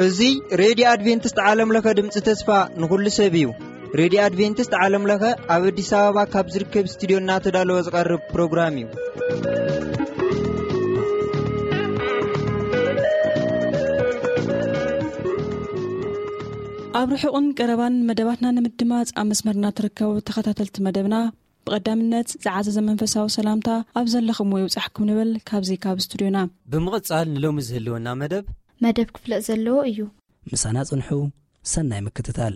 እዚ ሬድዮ ኣድቬንቲስት ዓለም ለኸ ድምፂ ተስፋ ንኹሉ ሰብ እዩ። ሬድዮ ኣድቬንቲስት ዓለም ለኸ ኣብ ኣዲስ ኣበባ ካብ ዝርከብ ስቱዲዮ እናተዳለወ ዝቐርብ ፕሮግራም እዩ። ኣብ ርሑቕን ቀረባን መደባትና ንምድማፅ ኣብ መስመርና ትርከቡ ተኸታተልቲ መደብና፣ ብቐዳምነት ዝዓዘዘ መንፈሳዊ ሰላምታ ኣብ ዘለኹምዎ ይብጻሕኩም ንብል ካብዚ ካብ ስቱዲዮና። ብምቕጻል ንሎሚ ዝህልወና መደብ መደብ ክፍለጥ ዘለዎ እዩ። ምሳና ጽንሑ። ሰናይ ምክትታል።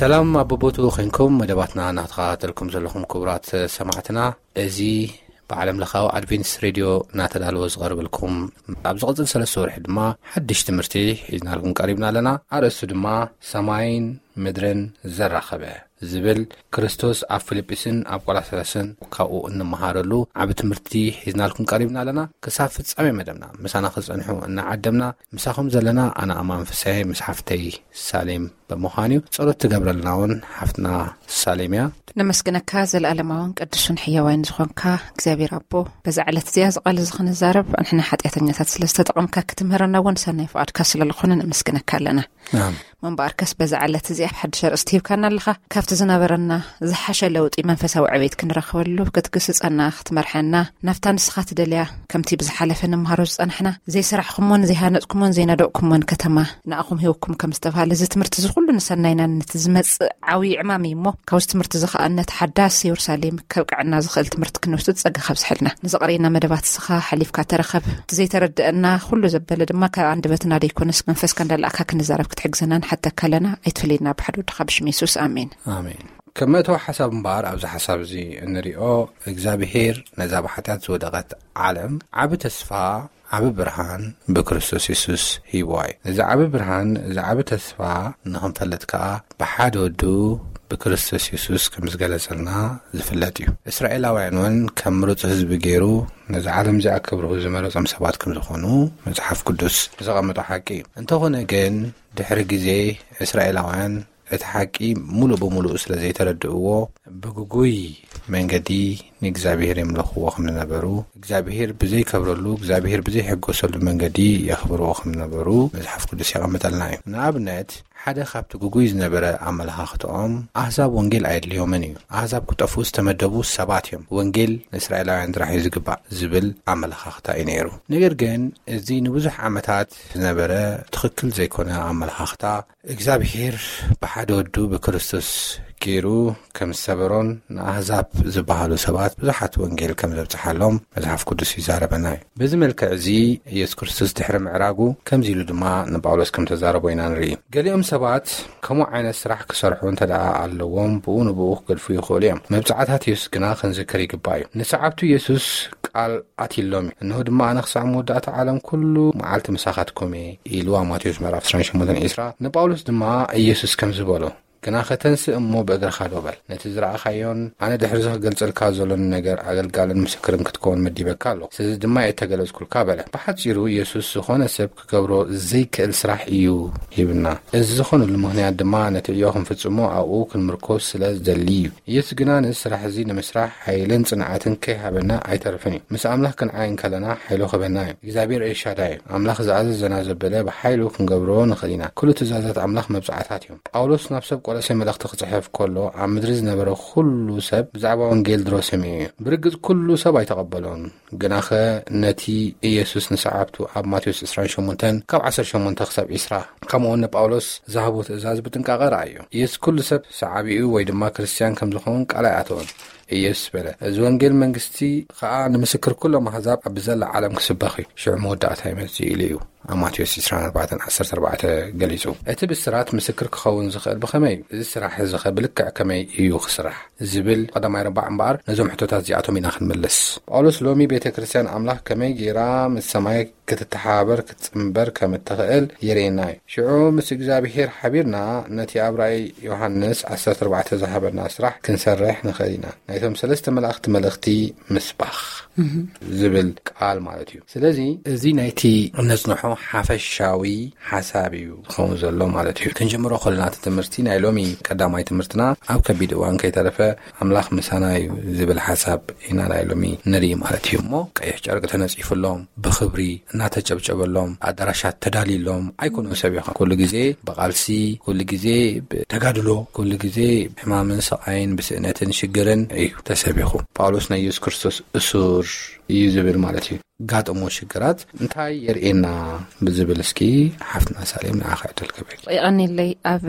ሰላም ኣብ ቦቦትኡ ኮንኩም መደባትና እናተኸታተልኩም ዘለኹም ክቡራት ሰማዕትና፣ እዚ ብዓለም ለኻዊ ኣድቬንቲስት ሬድዮ እናተዳለወ ዝቐርበልኩም፣ ኣብ ዝቕጽል ሰለስተ ወርሒ ድማ ሓድሽ ትምህርቲ ሒዝናልኩም ቀሪብና ኣለና። ኣርእስቱ ድማ ሰማይን ምድርን ዘራኸበ ዝብል፣ ክርስቶስ ኣብ ፊልጵስን ኣብ ቆላስያስን ካብኡ እንመሃረሉ ዓቢ ትምህርቲ ሒዝናልኩም ቀሪብና ኣለና። ክሳብ ፍጻሜ መደብና ምሳና ክጸንሑ እናዓደምና፣ ምሳኹም ዘለና ኣነ ኣማን ፍስሐ ምስ ሓፍተይ ሳሌም ብምዃን እዩ። ጸሎት ትገብረልና እውን ሓፍትና ሳሌም እያ። ነመስግነካ፣ ዘለኣለማውን ቅዱስን ሕያዋይን ዝኾንካ እግዚኣብሔር ኣቦ፣ በዛ ዕለት እዚኣ እዚ ቃል እዚ ክንዛረብ ንሕና ሓጢኣተኛታት ስለ ዝተጠቐምካ፣ ክትምህረና እውን ሰናይ ፍቓድካ ስለ ዝኾነ ነመስግነካ ኣለና። ኣሜን። እሞ እምበኣርከስ በዛ ዕለት እዚኣ ሓድሽ ኣርእስቲ ሂብካና ኣለኻ። ካብቲ ዝነበረና ዝሓሸ ለውጢ መንፈሳዊ ዕቤት ክንረኽበሉ ክትግስጸና፣ ክትመርሐና፣ ናብታ ንስኻ ትደልያ፣ ከምቲ ብዝሓለፈ ንመሃሮ ዝጸናሕና፣ ዘይሰራሕኩሞን ዘይሃነጽኩሞን ዘይነደቕኩሞን ከተማ ንኣኹም ሂብኩም ከም ዝተባህለ፣ እዚ ትምህርቲ እዚ ኩሉ ንሰናይናን ነቲ ዝመጽእ ዓብዪ ዕማም እዩ እሞ፣ ካብዚ ትምህርቲ እዚ ኸኣ ነቲ ሓዳስ የሩሳሌም ከብቅዐና ዝኽእል ትምህርቲ ክንወስድ ጸጋ ካብዝሐልና። ንዘቕረየና መደባት እስኻ ሓሊፍካ ተረኸብ። እቲ ዘይተረድአና ኩሉ ዘበለ ድማ ካብ ኣንደበትና ደይኮነስ መንፈስካ እንዳላእካ ክንዛረብ ክትሕግዘና ንሓተካ ኣለና። ኣይትፈለየና ብሓደ ወድኻ ብሽም የሱስ። ኣሜን። ኣሜን። ከም መእተዊ ሓሳብ እምበኣር ኣብዚ ሓሳብ እዚ እንሪኦ፣ እግዚኣብሄር ነዛ ብሓጢኣት ዝወደቐት ዓለም ዓቢ ተስፋ፣ ዓቢ ብርሃን ብክርስቶስ የሱስ ሂብዋ እዩ። እዚ ዓቢ ብርሃን፣ እዚ ዓቢ ተስፋ ንኽንፈልጥ ከኣ ብሓደ ወዱ ብክርስቶስ የሱስ ከም ዝገለጸልና ዝፍለጥ እዩ። እስራኤላውያን እውን ከም ምሩጽ ህዝቢ ገይሩ ነዚ ዓለም እዚኣ ክብርሁ ዝመረጾም ሰባት ከም ዝኾኑ መጽሓፍ ቅዱስ ዘቐመጦ ሓቂ እዩ። እንተኾነ ግን ድሕሪ ግዜ እስራኤላውያን እቲ ሓቂ ሙሉእ ብሙሉእ ስለ ዘይተረድእዎ ብግጉይ መንገዲ ንእግዚኣብሔር የምለኽዎ ከም ዝነበሩ፣ እግዚኣብሔር ብዘይከብረሉ፣ እግዚኣብሔር ብዘይሕጎሰሉ መንገዲ የኽብርዎ ከም ዝነበሩ መጽሓፍ ቅዱስ የቐምጠልና እዩ። ንኣብነት ሓደ ካብቲ ግጉይ ዝነበረ ኣመለኻኽትኦም ኣህዛብ ወንጌል ኣየድልዮምን እዩ። ኣህዛብ ክጠፍኡ ዝተመደቡ ሰባት እዮም። ወንጌል ንእስራኤላውያን ጥራሕ እዩ ዝግባእ ዝብል ኣመለኻኽታ እዩ ነይሩ። ነገር ግን እዚ ንብዙሕ ዓመታት ዝነበረ ትኽክል ዘይኮነ ኣመለኻኽታ እግዚኣብሔር ብሓደ ወዱ ብክርስቶስ ገይሩ ከም ዝሰበሮን ንኣህዛብ ዝበሃሉ ሰባት ብዙሓት ወንጌል ከም ዘብጽሓሎም መጽሓፍ ቅዱስ ይዛረበና እዩ። በዚ መልክዕ እዚ ኢየሱስ ክርስቶስ ድሕሪ ምዕራጉ ከምዚ ኢሉ ድማ ንጳውሎስ ከም ተዛረቦ ኢና ንርኢ። ገሊኦም ሰባት ከምኡ ዓይነት ስራሕ ክሰርሑ እንተ ደኣ ኣለዎም ብኡ ንብኡ ክገድፉ ይኽእሉ እዮም። መብጽዓታት ኢየሱስ ግና ክንዝክር ይግባእ እዩ። ንሰዓብቱ ኢየሱስ ቃል ኣትሎም እዩ። እንሆ ድማ ኣነ ክሳዕ መወዳእታ ዓለም ኩሉ መዓልቲ ምሳኻትኩም እየ ኢሉ ኣብ ማቴዎስ ምዕራፍ ዕስራን ሸሞንተን ዕስራ። ንጳውሎስ ድማ ኢየሱስ ከምዚ በሎ፣ ግናኸ ተንስእ እሞ ብእግርኻ ደው በል። ነቲ ዝረኣኻዮን ኣነ ድሕሪ እዚ ክገልጸልካ ዘሎኒ ነገር ኣገልጋልን ምስክርን ክትከውን መዲበካ ኣለኹ። ስለዚ ድማ እየ እተገለጽኩልካ በለ። ብሓጺሩ ኢየሱስ ዝኾነ ሰብ ክገብሮ ዘይክእል ስራሕ እዩ ሂብና። እዚ ዝኾነሉ ምኽንያት ድማ ነቲ ዕዮ ክንፍጽሞ ኣብኡ ክንምርኮስ ስለ ዝደሊ እዩ። ኢየሱስ ግና ነዚ ስራሕ እዚ ንምስራሕ ሓይልን ጽንዓትን ከይሃበና ኣይተርፍን እዩ። ምስ ኣምላኽ ክንዓይ እንከለና ሓይሉ ክህበና እዩ። እግዚኣብሔር ኤልሻዳይ እዩ። ኣምላኽ ዝኣዘዘና ዘበለ ብሓይሉ ክንገብሮ ንኽእል ኢና። ኩሉ ትእዛዛት ኣምላኽ መብጽዓታት እዮም። ጳውሎስ ናብ ሰብ ቆሎሴ መልእኽቲ ክጽሕፍ ከሎ ኣብ ምድሪ ዝነበረ ኩሉ ሰብ ብዛዕባ ወንጌል ድሮ ሰሚዑ እዩ። ብርግጽ ኩሉ ሰብ ኣይተቐበሎን። ግናኸ ነቲ ኢየሱስ ንሰዓብቱ ኣብ ማቴዎስ ዕስራን ሸሞንተን ካብ ዓሰርተ ሸሞንተ ክሳብ ዕስራ፣ ከምኡውን ንጳውሎስ ዝሃቦ ትእዛዝ ብጥንቃቐ ረኣዮ። ኢየሱስ ኩሉ ሰብ ሰዓቢኡ ወይ ድማ ክርስትያን ከም ዝኸውን ቃል ኣይኣተወን። ኢየሱስ በለ፣ "እዚ ወንጌል መንግስቲ ኸኣ ንምስክር ኩሎም ኣህዛብ ኣብ ብዘላ ዓለም ክስበኽ እዩ፣ ሽዑ መወዳእታ ይመጽእ" ኢሉ እዩ። ኣብ ማቴዎስ ዕስራን ኣርባዕተን ዓሰርተ ኣርባዕተ ገሊጹ። እቲ ብስራት ምስክር ክኸውን ዝኽእል ብኸመይ እዩ? እዚ ስራሕ እዚ ኸ ብልክዕ ከመይ እዩ ክስራሕ? ዝብል ቀዳማይ ረባዕ እምበኣር፣ ነዞም ሕቶታት እዚኣቶም ኢና ክንምልስ። ጳውሎስ ሎሚ ቤተ ክርስትያን ኣምላኽ ከመይ ገይራ ምስ ሰማይ ክትተሓባበር ክትጽንበር ከም እትኽእል የርእየና እዩ። ሽዑ ምስ እግዚኣብሔር ሓቢርና ነቲ ኣብ ራእይ ዮሃንስ ዓሰርተ ኣርባዕተ ዝሃበና ስራሕ ክንሰርሕ ንኽእል ኢና። ናይቶም ሰለስተ መላእኽቲ መልእኽቲ ምስባኽ ዝብል ቃል ማለት እዩ። ስለዚ እዚ ናይቲ እነጽንሖ ሓፈሻዊ ሓሳብ እዩ ዝኸውን ዘሎ ማለት እዩ። ክንጅምሮ ከለና እቲ ትምህርቲ ናይ ሎሚ ቀዳማይ ትምህርትና ኣብ ከቢድ እዋን ከይተረፈ ኣምላኽ ምሳና እዩ ዝብል ሓሳብ ኢና ናይ ሎሚ ንርኢ ማለት እዩ። እሞ ቀይሕ ጨርቂ ተነጺፉሎም ብኽብሪ እናተጨብጨበሎም ኣዳራሻት ተዳልዩሎም ኣይኮኑን ሰብ ይኾን። ኩሉ ግዜ ብቓልሲ፣ ኩሉ ግዜ ብተጋድሎ፣ ኩሉ ግዜ ብሕማምን ስቓይን ብስእነትን ሽግርን እዩ ተሰቢኹ። ጳውሎስ ናይ የሱስ ክርስቶስ እሱር እዩ ዝብል ማለት እዩ። ጋጥሞ ሽግራት እንታይ የርእየና ብዝብል እስኪ ሓፍትና ሳሌም ንዓኻ ዕድል ክህበኪ። የቐንየለይ። ኣብ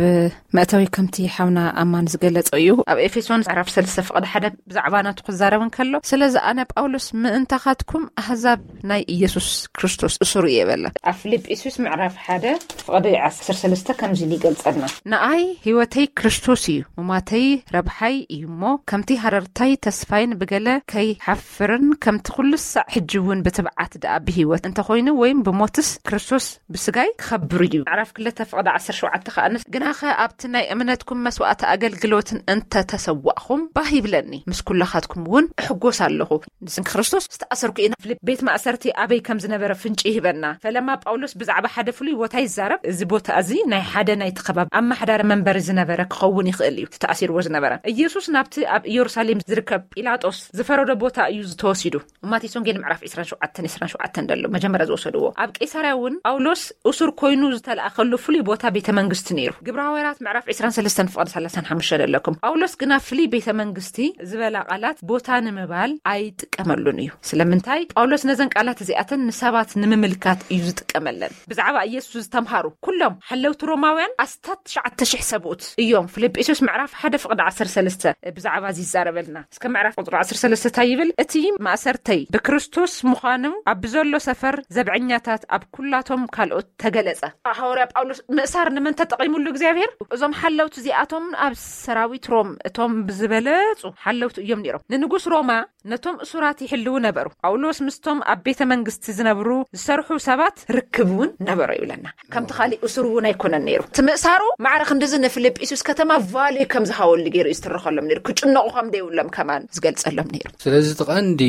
መእተዊ ከምቲ ሓውና ኣማን ዝገለጸ እዩ። ኣብ ኤፌሶን ምዕራፍ ሰለስተ ፍቕዲ ሓደ ብዛዕባ ናቱ ክዛረብ እንከሎ፣ ስለዚ ኣነ ጳውሎስ ምእንታኻትኩም ኣህዛብ ናይ ኢየሱስ ክርስቶስ እሱር እየ በለ። ኣብ ፊልጵስዩስ ምዕራፍ ሓደ ፍቕዲ ዓሰርተ ሰለስተ ከምዚ ኢሉ ይገልጸልና። ንኣይ ህይወተይ ክርስቶስ እዩ፣ ሙማተይ ረብሓይ እዩ እሞ፣ ከምቲ ሃረርታይ ተስፋይን ብገለ ከይሓፍርን፣ ከምቲ ኩሉ ሳዕ ሕጂ እውን ብትብዓት ደኣ ብህይወት እንተኾይኑ ወይም ብሞትስ ክርስቶስ ብስጋይ ክኸብር እዩ። ምዕራፍ ክልተ ፍቕዲ ዓሰርተ ሸውዓተ ከኣ ንስ-፣ ግናኸ ኣብቲ ናይ እምነትኩም መስዋዕቲ ኣገልግሎትን እንተተሰዋእኹም ባህ ይብለኒ፣ ምስ ኩላኻትኩም እውን እሕጎስ ኣለኹ። ንስንኪ ክርስቶስ ዝተኣሰርኩ እየ። ፊልፕ ቤት ማእሰርቲ ኣበይ ከም ዝነበረ ፍንጪ ይህበና። ፈለማ ጳውሎስ ብዛዕባ ሓደ ፍሉይ ቦታ ይዛረብ። እዚ ቦታ እዚ ናይ ሓደ ናይቲ ከባቢ ኣመሓዳሪ መንበሪ ዝነበረ ክኸውን ይኽእል እዩ፣ እቲ ተኣሲርዎ ዝነበረ። ኢየሱስ ናብቲ ኣብ ኢየሩሳሌም ዝርከብ ጲላጦስ ዝፈረዶ ቦታ እዩ ዝተወሲዱ። ማቴዎስ ወንጌል ምዕራፍ ዕስራን ሸውዓተን ዕስራን ሸውዓተን ዘሎ መጀመርያ ዝወሰድዎ። ኣብ ቄሳርያ እውን ጳውሎስ እሱር ኮይኑ ዝተላእከሉ ፍሉይ ቦታ ቤተ መንግስቲ ነይሩ። ግብረ ሃዋርያት ምዕራፍ ዕስራን ሰለስተን ፍቕዲ ሰላሳን ሓሙሽተን ዘለኩም። ጳውሎስ ግና ፍሉይ ቤተ መንግስቲ ዝበላ ቃላት ቦታ ንምባል ኣይጥቀመሉን እዩ። ስለምንታይ? ጳውሎስ ነዘን ቃላት እዚኣተን ንሰባት ንምምልካት እዩ ዝጥቀመለን። ብዛዕባ ኢየሱስ ዝተምሃሩ ኩሎም ሓለውቲ ሮማውያን ኣስታት ትሽዓተ ሽሕ ሰብኡት እዮም። ፊልጵስዩስ ምዕራፍ ሓደ ፍቕዲ ዓሰርተ ሰለስተ ብዛዕባ እዚ ይዛረበልና። እስከ ምዕራፍ ቁጽሪ ዓሰርተ ሰለስተ እንታይ ይብል? እቲ ማእሰርተይ ብክርስቶስ ምዃኑ ኣብ ብዘሎ ሰፈር ዘብዐኛታት ኣብ ኩላቶም ካልኦት ተገለጸ። ሃዋርያ ጳውሎስ ምእሳር ንመን ተጠቒሙሉ እግዚኣብሔር? እዞም ሓለውቲ እዚኣቶም ኣብ ሰራዊት ሮም እቶም ብዝበለጹ ሓለውቲ እዮም ነይሮም። ንንጉስ ሮማ ነቶም እሱራት ይሕልዉ ነበሩ። ጳውሎስ ምስቶም ኣብ ቤተ መንግስቲ ዝነብሩ ዝሰርሑ ሰባት ርክብ እውን ነበሮ ይብለና። ከምቲ ካሊእ እሱር እውን ኣይኮነን ነይሩ። እቲ ምእሳሩ ማዕረ ክንድዚ ንፊልጵስዩስ ከተማ ቫልዩ ከም ዝሃበሉ ገይሩ እዩ ዝትርኸሎም ነይሩ። ክጭነቑ ከም ደይብሎም ከማን ዝገልጸሎም ነይሩ። ስለዚ እቲ ቀንዲ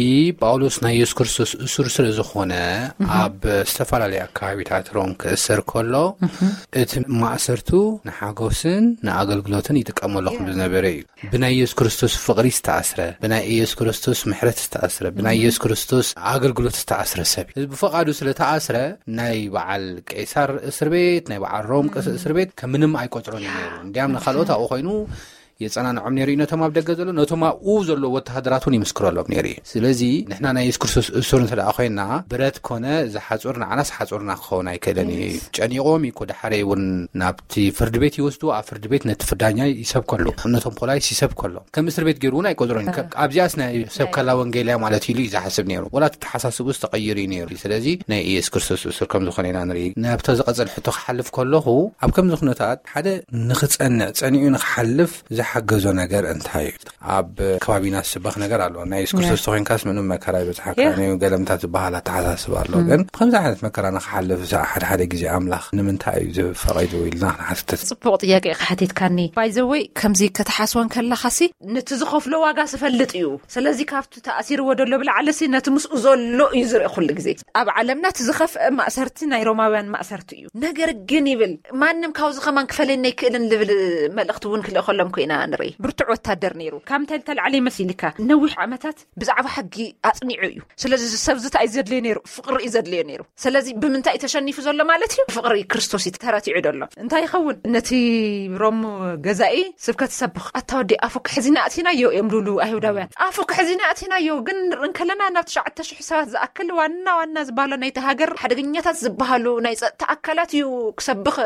ጳውሎስ ናይ የሱስ ክርስቶስ እሱር ስለ ዝኾነ ኣብ ዝተፈላለየ ኣካባቢታት ሮም ክእሰር ከሎ እቲ ማእሰርቱ ንሓጎስን ንኣገልግሎትን ይጥቀመሉ ከም ዝነበረ እዩ። ብናይ የሱስ ክርስቶስ ፍቕሪ ዝተኣስረ፣ ብናይ የሱስ ክርስቶስ ምሕረት ዝተኣስረ፣ ብናይ የሱስ ክርስቶስ ኣገልግሎት ዝተኣስረ ሰብ እዩ። እዚ ብፍቓዱ ስለ ተኣስረ ናይ በዓል ቄሳር እስር ቤት፣ ናይ በዓል ሮም ቅስ-፣ እስር ቤት ከም ምንም ኣይቆጽሮን እዩ ነይሩ። እንዲያም ንኻልኦት ኣብኡ ኮይኑ የጸናንዖም ነይሩ እዩ፣ ነቶም ኣብ ደገ ዘሎ፣ ነቶም ኣብኡ ዘሎ ወተሃደራት እውን ይምስክረሎም ነይሩ እዩ። ስለዚ ንሕና ናይ የሱስ ክርስቶስ እሱር እንተ ደኣ ኮይንና ብረት ኮነ እዚ ሓጹር ንዓናስ ሓጹርና ክኸውን ኣይክእልን እዩ። ጨኒቖም እዩ እኮ ድሓረይ እውን ናብቲ ፍርድ ቤት ይወስዱ፣ ኣብ ፍርድ ቤት ነቲ ፍርዳኛ ይሰብከሉ፣ ነቶም ፖላይስ ይሰብከሎም። ከም እስር ቤት ገይሩ እውን ኣይቆጽሮን። ከ-፣ ኣብዚኣስ ናይ ሰብ ከላ ወንጌልያ ማለት ኢሉ እዩ ዝሓስብ ነይሩ። ወላ እቲ ተሓሳስቡ ዝተቐይር እዩ ነይሩ። ስለዚ ናይ ኢየሱስ ክርስቶስ እሱር ከም ዝኾነ ኢና ንርኢ። ናብታ ዝቐጽል ሕቶ ክሓልፍ ከለኹ ኣብ ከምዚ ኩነታት ሓደ ንኽጸንዕ ጸኒዑ ንኽሓልፍ ዝሓገዞ ነገር እንታይ እዩ? ኣብ ከባቢና ዝስበኽ ነገር ኣሎ። ናይ የሱስ ክርስቶስ ተኾይንካስ ምንም መከራ ይበጽሓካ እዩ፣ ገለምታት ዝበሃል ኣተሓሳስባ ኣሎ። ግን ብከምዚ ዓይነት መከራ ንኽሓልፍ ሓደ ሓደ ግዜ ኣምላኽ ንምንታይ እዩ ዝፈቐዶ ኢልና ክንሓትት። ጽቡቕ ጥያቄ ኢኻ ሓቲትካኒ። ባይዘወይ ከምዚ ከተሓስቦ እንከለኻሲ ነቲ ዝኸፍሎ ዋጋ ዝፈልጥ እዩ። ስለዚ ካብቲ ተኣሲርዎ ዘሎ ብላዕሊሲ ነቲ ምስኡ ዘሎ እዩ ዝርኢ ኩሉ ግዜ። ኣብ ዓለምና እቲ ዝኸፍአ ማእሰርቲ ናይ ሮማውያን ማእሰርቲ እዩ። ነገር ግን ይብል ማንም ካብዚ ከማን ክፈለየኒ ኣይክእልን ዝብል መልእኽቲ እውን ክልእኸሎም ኮይና ንርኢ። ብርቱዕ ወታደር ነይሩ። ካብ እንታይ ዝተላዕለ ይመስልካ? ነዊሕ ዓመታት ብዛዕባ ሕጊ ኣጽኒዑ እዩ። ስለዚ እዚ ሰብ እዚ እንታይ እዩ ዘድልዮ ነይሩ? ፍቕሪ እዩ ዘድልዮ ነይሩ። ስለዚ ብምንታይ እዩ ተሸኒፉ ዘሎ ማለት እዩ? ፍቕሪ ክርስቶስ እዩ ተረቲዑ ዘሎ። እንታይ ይኸውን? ነቲ ሮም ገዛኢ ስብከት ሰብኽ ኣታ ወዲ ኣፉ ክሕዚና ኣእቲናዮ እዮም ዝብሉ ኣይሁዳውያን። ኣፉ ክሕዚና ኣእቲናዮ ግን ንርኢ እንከለና ናብ ትሽዓተ ሽሕ ሰባት ዝኣክል ዋና ዋና ዝበሃሉ ናይቲ ሃገር ሓደገኛታት ዝበሃሉ ናይ ጸጥታ ኣካላት እዩ ክሰብኽ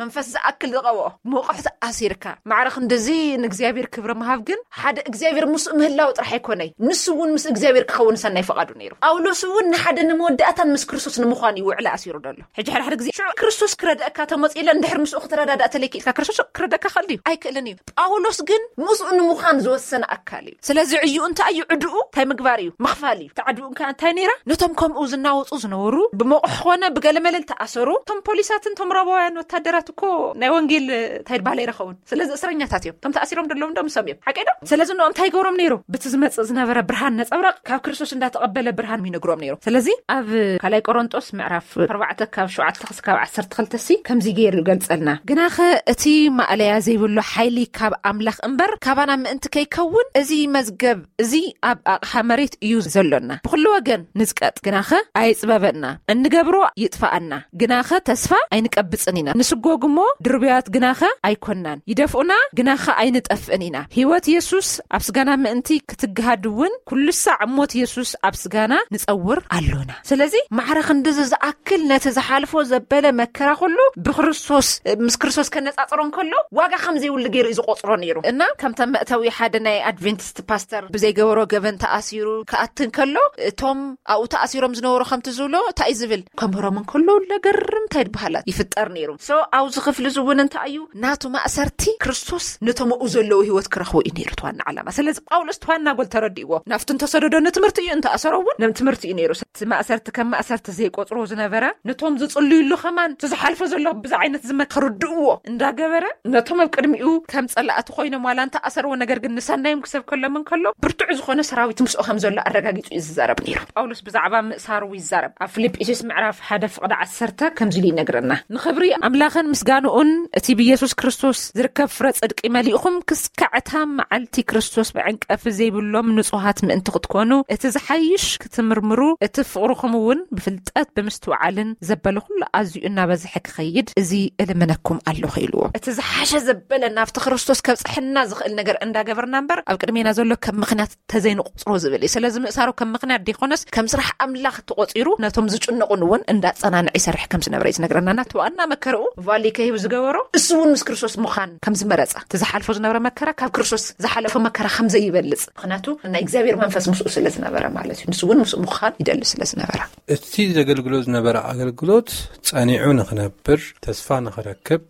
መንፈስ ዝኣክል ዝቐብኦ። መቑሕቲ ኣሲርካ ማዕረ ክንድዚ ንእግዚኣብሔር ክብሪ ምሃብ ግን ሓደ እግዚኣብሔር ምስኡ ምህላው ጥራሕ ኣይኮነይ፣ ንሱ እውን ምስ እግዚኣብሔር ክኸውን ሰናይ ፈቓዱ ነይሩ። ጳውሎስ እውን ንሓደ ንመወዳእታን ምስ ክርስቶስ ንምዃን እዩ ውዕሊ ኣሲሩ ዘሎ። ሕጂ ሓደ ሓደ ግዜ ሽዑ ክርስቶስ ክረድአካ ተመፂለ እንድሕር ምስኡ ክትረዳዳእ ተለይኪ ኢልካ ክርስቶስ ክረድአካ ክእል ድዩ? ኣይክእልን እዩ። ጳውሎስ ግን ምስኡ ንምዃን ዝወሰነ ኣካል እዩ። ስለዚ ዕዩ እንታይ እዩ? ዕድኡ እንታይ ምግባር እዩ? ምኽፋል እዩ። እቲ ዓድኡ እንታይ ነይራ? ነቶም ከምኡ ዝናወፁ ዝነበሩ፣ ብመቑሕ ኾነ ብገለመለ ዝተኣሰሩ፣ እቶም ፖሊሳትን እቶም ሮማውያን ወታደራት እኮ ናይ ወንጌል እንታይ ይበሃል ኣይረኸቡን። ስለዚ እስረኛታት እዮም። እቶም ተኣሲሮም ደለዉ እንዶ ምሶም እዮም። ሓቀይ ዶ? ስለዚ ንኦም እንታይ ይገብሮም ነይሩ? ብቲ ዝመጽእ ዝነበረ ብርሃን ነጸብራቕ ካብ ክርስቶስ እንዳተቐበለ ብርሃን ይነግሮም ነይሩ። ስለዚ ኣብ ካልኣይ ቆሮንጦስ ምዕራፍ ኣርባዕተ ካብ ሸውዓተ ክስካብ ዓሰርተ ክልተ ሲ ከምዚ ገይሩ ይገልጸልና። ግናኸ እቲ ማእለያ ዘይብሉ ሓይሊ ካብ ኣምላኽ እምበር ካባና ምእንቲ ከይከውን፣ እዚ መዝገብ እዚ ኣብ ኣቕሓ መሬት እዩ ዘሎና። ብኹሉ ወገን ንጽቀጥ፣ ግናኸ ኣይጽበበና። እንገብሮ ይጥፋኣና፣ ግናኸ ተስፋ ኣይንቀብጽን ኢና። ንስጎግሞ ድርብያት ግናኸ ኣይኮናን። ይደፍኡና፣ ግናኸ ኣይንጠፍእን ኢና። ህይወት የሱስ ኣብ ስጋና ምእንቲ ክትግሃድ እውን ኩሉ ሳዕ ሞት የሱስ ኣብ ስጋና ንጸውር ኣሎና። ስለዚ ማዕረ ክንድዚ ዝኣክል ነቲ ዝሓልፎ ዘበለ መከራ ኩሉ ብክርስቶስ፣ ምስ ክርስቶስ ከነጻጽሮ እንከሎ ዋጋ ከም ዘይብሉ ገይሩ እዩ ዝቆጽሮ ነይሩ። እና ከምታ መእተዊ ሓደ ናይ ኣድቬንቲስት ፓስተር ብዘይገበሮ ገበን ተኣሲሩ ክኣቲ እንከሎ እቶም ኣብኡ ተኣሲሮም ዝነበሩ ከምቲ ዝብሎ እንታይ እዩ ዝብል? ከምህሮም እንከሎ ለገርም እንታይ ይበሃላት ይፍጠር ነይሩ። ሶ ኣብዚ ክፍሊ እዚ እውን እንታይ እዩ ናቱ ማእሰርቲ ክርስቶስ ነቶም ኣብኡ ዘለዉ ህይወት ክረኽቡ እዩ ነይሩ እቲ ዋና ዓላማ። ስለዚ ጳውሎስ እቲ ዋና ጎል ተረዲእዎ። ናብቲ እንተሰደዶ ንትምህርቲ እዩ፣ እንተኣሰሮ እውን ንትምህርቲ እዩ ነይሩ። እቲ ማእሰርቲ ከም ማእሰርቲ ዘይቆጽሮ ዝነበረ፣ ነቶም ዝጽልዩሉ ከማን እቲ ዝሓልፎ ዘሎ ብዛ ዓይነት ዝመ-፣ ክርድእዎ እንዳገበረ፣ ነቶም ኣብ ቅድሚኡ ከም ጸላእቲ ኮይኖም ዋላ እንተኣሰርዎ፣ ነገር ግን ንሰናዮም ክሰብከሎም እንከሎ ብርቱዕ ዝኾነ ሰራዊት ምስኡ ከም ዘሎ ኣረጋጊጹ እዩ ዝዛረብ ነይሩ። ጳውሎስ ብዛዕባ ምእሳሩ ይዛረብ። ኣብ ፊልጵስዩስ ምዕራፍ ሓደ ፍቕዲ ዓሰርተ ከምዚ ኢሉ ይነግረና። ንኽብሪ ኣምላኽን ምስጋንኡን እቲ ብየሱስ ክርስቶስ ዝርከብ ፍረ ጽድቂ መሊእኹም ክስካዕ እታ መዓልቲ ክርስቶስ ብዕንቀፊ ዘይብሎም ንጹሃት ምእንቲ ክትኮኑ፣ እቲ ዝሓይሽ ክትምርምሩ፣ እቲ ፍቕርኹም እውን ብፍልጠት ብምስትውዓልን ዘበለ ኩሉ ኣዝዩ እናበዝሐ ክኸይድ እዚ እልምነኩም ኣለኹ ኢልዎ። እቲ ዝሓሸ ዘበለ ናብቲ ክርስቶስ ከብጽሐና ዝኽእል ነገር እንዳገበርና እምበር ኣብ ቅድሜና ዘሎ ከም ምኽንያት ተዘይንቁጽሮ ዝብል እዩ። ስለዚ ምእሳሩ ከም ምኽንያት ዲኮነስ ከም ስራሕ ኣምላኽ ተቆጺሩ ነቶም ዝጭነቑን እውን እንዳጸናንዐ ይሰርሕ ከም ዝነበረ እዩ ዝነግረና። ናቲ ዋና መከረኡ ቫሊ ከሂቡ ዝገበሮ እሱ እውን ምስ ክርስቶስ ምዃን ከም ዝመረጸ፣ እቲ ዝሓልፎ ዝነበረ መከራ ካብ ክርስቶስ ዝሓለፎ መከራ ከም ዘይበልጽ፣ ምኽንያቱ ናይ እግዚኣብሔር መንፈስ ምስኡ ስለ ዝነበረ ማለት እዩ። ንሱ እውን ምስኡ ምዃን ይደሊ ስለ ዝነበረ። እቲ ዘገልግሎ ዝነበረ ኣገልግሎት ጸኒዑ ንኽነብር፣ ተስፋ ንኽረክብ፣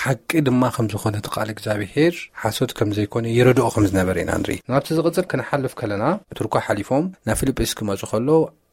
ሓቂ ድማ ከም ዝኾነ እቲ ቃል እግዚኣብሔር ሓሶት ከም ዘይኮነ ይረድኦ ከም ዝነበረ ኢና ንርኢ። ናብቲ ዝቕጽል ክንሓልፍ ከለና፣ ብቱርኮ ሓሊፎም ናብ ፊልጵስ ክመጹ ከሎ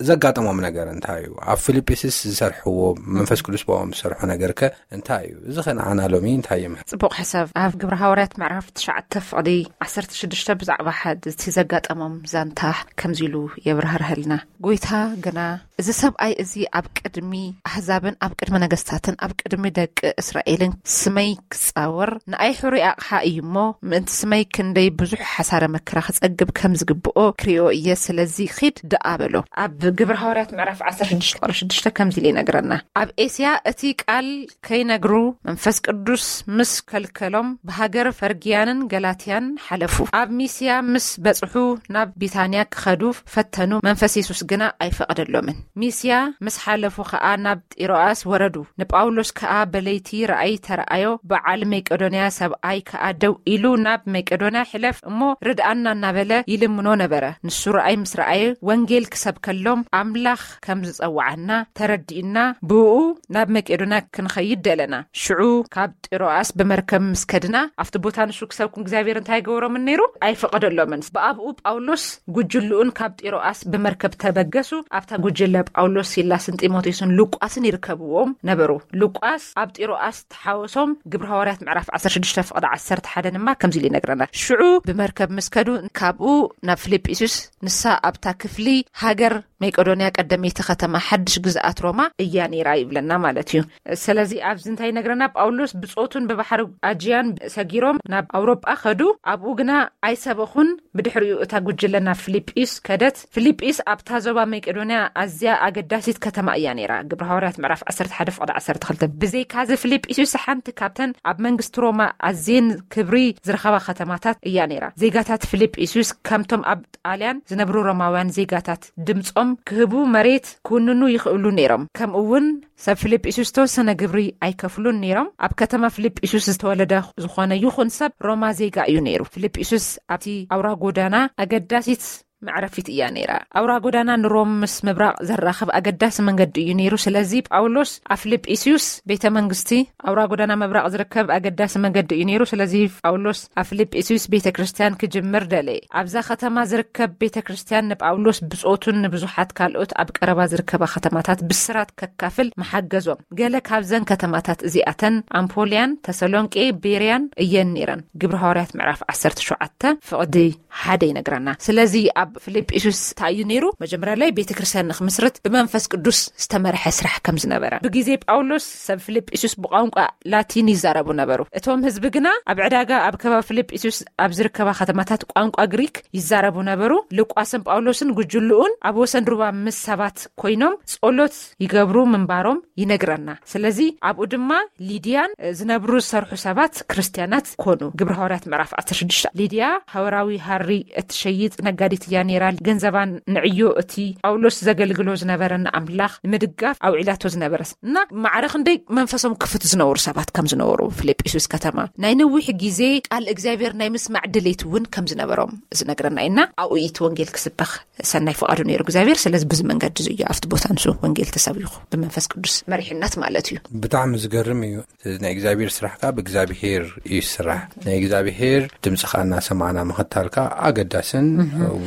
ዘጋጠሞም ነገር እንታይ እዩ? ኣብ ፊልጵስስ ዝሰርሕዎ፣ መንፈስ ቅዱስ ብኦም ዝሰርሖ ነገር ከ እንታይ እዩ? እዚ ከ ንዓና ሎሚ እንታይ ይምህር? ጽቡቕ ሕሳብ። ኣብ ግብረ ሃዋርያት ምዕራፍ ትሽዓተ ፍቕዲ ዓሰርተ ሽዱሽተ ብዛዕባ ሓደ እቲ ዘጋጠሞም ዛንታ ከምዚ ኢሉ የብራህርሀልና። ጎይታ ግና፣ እዚ ሰብኣይ እዚ ኣብ ቅድሚ ኣህዛብን ኣብ ቅድሚ ነገስታትን ኣብ ቅድሚ ደቂ እስራኤልን ስመይ ክጻወር ንኣይ ሕሩይ ኣቕሓ እዩ እሞ፣ ምእንቲ ስመይ ክንደይ ብዙሕ ሓሳረ መከራ ክጸግብ ከም ዝግብኦ ክርእዮ እየ። ስለዚ ኺድ ደኣ በሎ። ኣብ ግብረ ሃዋርያት ምዕራፍ ዓሰርተ ሽዱሽተ ቁጽሪ ሽዱሽተ ከምዚ ኢሉ ይነግረና። ኣብ ኤስያ እቲ ቃል ከይነግሩ መንፈስ ቅዱስ ምስ ከልከሎም፣ ብሃገር ፈርግያንን ገላትያን ሓለፉ። ኣብ ሚስያ ምስ በጽሑ፣ ናብ ቢታንያ ክኸዱ ፈተኑ፣ መንፈስ የሱስ ግና ኣይፈቐደሎምን። ሚስያ ምስ ሓለፉ ኸኣ ናብ ጢሮኣስ ወረዱ። ንጳውሎስ ከኣ በለይቲ ራእይ ተረኣዮ። በዓል መቄዶንያ ሰብኣይ ከኣ ደው ኢሉ፣ ናብ መቄዶንያ ሕለፍ እሞ ርድኣና እናበለ ይልምኖ ነበረ። ንሱ ራእይ ምስ ረኣየ፣ ወንጌል ክሰብከሎም ኣምላኽ ከም ዝጸውዓና ተረዲእና፣ ብእኡ ናብ መቄዶንያ ክንኸይድ ደለና። ሽዑ ካብ ጢሮኣስ ብመርከብ ምስ ከድና፣ ኣብቲ ቦታ ንሱ ክሰብኩም እግዚኣብሔር እንታይ ገበሮምን ነይሩ? ኣይፈቐደሎምን። ብኣብኡ ጳውሎስ ጉጅልኡን ካብ ጢሮኣስ ብመርከብ ተበገሱ። ኣብታ ጉጅለ ጳውሎስ፣ ሲላስን ጢሞቴዎስን ሉቃስን ይርከብዎም ነበሩ። ሉቃስ ኣብ ጢሮኣስ ተሓወሶም። ግብረ ሃዋርያት ምዕራፍ ዓሰርተ ሽዱሽተ ፍቕዲ ዓሰርተ ሓደ ድማ ከምዚ ኢሉ ይነግረና። ሽዑ ብመርከብ ምስ ከዱ፣ ካብኡ ናብ ፊልጵስዩስ፣ ንሳ ኣብታ ክፍሊ ሃገር መቄዶንያ ቀደመይቲ ከተማ ሓድሽ ግዝኣት ሮማ እያ ነይራ ይብለና ማለት እዩ። ስለዚ ኣብዚ እንታይ ይነግረና? ጳውሎስ ብጾቱን ብባሕሪ ኣጅያን ሰጊሮም ናብ ኣውሮጳ ከዱ። ኣብኡ ግና ኣይሰበኹን። ብድሕሪኡ እታ ጉጅለ ናብ ፊልጵስ ከደት። ፊልጵስ ኣብታ ዞባ መቄዶንያ ኣዝያ ኣገዳሲት ከተማ እያ ነይራ። ግብረ ሃዋርያት ምዕራፍ ዓሰርተ ሓደ ፍቕዲ ዓሰርተ ክልተ። ብዘይካዚ ፊልጵስዩስ ሓንቲ ካብተን ኣብ መንግስቲ ሮማ ኣዝየን ክብሪ ዝረኸባ ከተማታት እያ ነይራ። ዜጋታት ፊልጵስዩስ ከምቶም ኣብ ጣልያን ዝነብሩ ሮማውያን ዜጋታት ድምጾም ክህቡ መሬት ክውንኑ ይኽእሉ ነይሮም። ከምኡ እውን ሰብ ፊልጵስዩስ ዝተወሰነ ግብሪ ኣይከፍሉን ነይሮም። ኣብ ከተማ ፊልጵስዩስ ዝተወለደ ዝኾነ ይኹን ሰብ ሮማ ዜጋ እዩ ነይሩ። ፊልጵስዩስ ኣብቲ ኣውራ ጎዳና ኣገዳሲት መዕረፊት እያ ነይራ። ኣውራ ጎዳና ንሮም ምስ ምብራቕ ዘራኽብ ኣገዳሲ መንገዲ እዩ ነይሩ። ስለዚ ጳውሎስ ኣብ ፊልጵስዩስ ቤተ መንግስቲ፣ ኣውራ ጎዳና ምብራቕ ዝርከብ ኣገዳሲ መንገዲ እዩ ነይሩ። ስለዚ ጳውሎስ ኣብ ፊልጵስዩስ ቤተ ክርስቲያን ክጅምር ደለየ። ኣብዛ ከተማ ዝርከብ ቤተ ክርስቲያን ንጳውሎስ ብጾቱን ንብዙሓት ካልኦት ኣብ ቀረባ ዝርከባ ከተማታት ብስራት ከካፍል መሓገዞም። ገለ ካብዘን ከተማታት እዚኣተን ኣምፖልያን ተሰሎንቄ ቤርያን እየን ነይረን። ግብረ ሃዋርያት ምዕራፍ ዓሰርተ ሸውዓተ ፍቕዲ ሓደ ይነግረና። ስለዚ ኣብ ፊልጵስዩስ እንታይ እዩ ነይሩ? መጀመርያ ላይ ቤተ ክርስቲያን ንክምስርት ብመንፈስ ቅዱስ ዝተመርሐ ስራሕ ከም ዝነበረ፣ ብግዜ ጳውሎስ ሰብ ፊልጵስዩስ ብቋንቋ ላቲን ይዛረቡ ነበሩ። እቶም ህዝቢ ግና ኣብ ዕዳጋ ኣብ ከባቢ ፊልጵስዩስ ኣብ ዝርከባ ከተማታት ቋንቋ ግሪክ ይዛረቡ ነበሩ። ሉቃስን ጳውሎስን ጉጅልኡን ኣብ ወሰን ሩባ ምስ ሰባት ኮይኖም ጸሎት ይገብሩ ምንባሮም ይነግረና። ስለዚ ኣብኡ ድማ ሊድያን ዝነብሩ ዝሰርሑ ሰባት ክርስቲያናት ኮኑ። ግብረ ሃዋርያት ምዕራፍ ዓሰርተ ሽዱሽተ። ሊድያ ሃወራዊ ሃሪ እትሸይጥ ነጋዲት እያ ነይራ። ገንዘባን ንዕዮ እቲ ጳውሎስ ዘገልግሎ ዝነበረ ንኣምላኽ ንምድጋፍ ኣውዒላቶ ዝነበረ እና ማዕረ ክንደይ መንፈሶም ክፍት ዝነበሩ ሰባት ከም ዝነበሩ ፊልጵስዩስ ከተማ ናይ ነዊሕ ግዜ ቃል እግዚኣብሔር ናይ ምስማዕ ድሌት እውን ከም ዝነበሮም ዝነግረና ኢና። ኣብኡ እቲ ወንጌል ክስበኽ ሰናይ ፍቓዱ ነይሩ እግዚኣብሔር። ስለዚ ብዚ መንገዲ እዚ እዩ ኣብቲ ቦታ ንሱ ወንጌል ተሰቢኹ ብመንፈስ ቅዱስ መሪሕነት ማለት እዩ። ብጣዕሚ ዝገርም እዩ። ናይ እግዚኣብሔር ስራሕ ከዓ ብእግዚኣብሔር እዩ ዝስራሕ። ናይ እግዚኣብሔር ድምፂ ከዓ እናሰማዕና ምኽታል ከዓ ኣገዳስን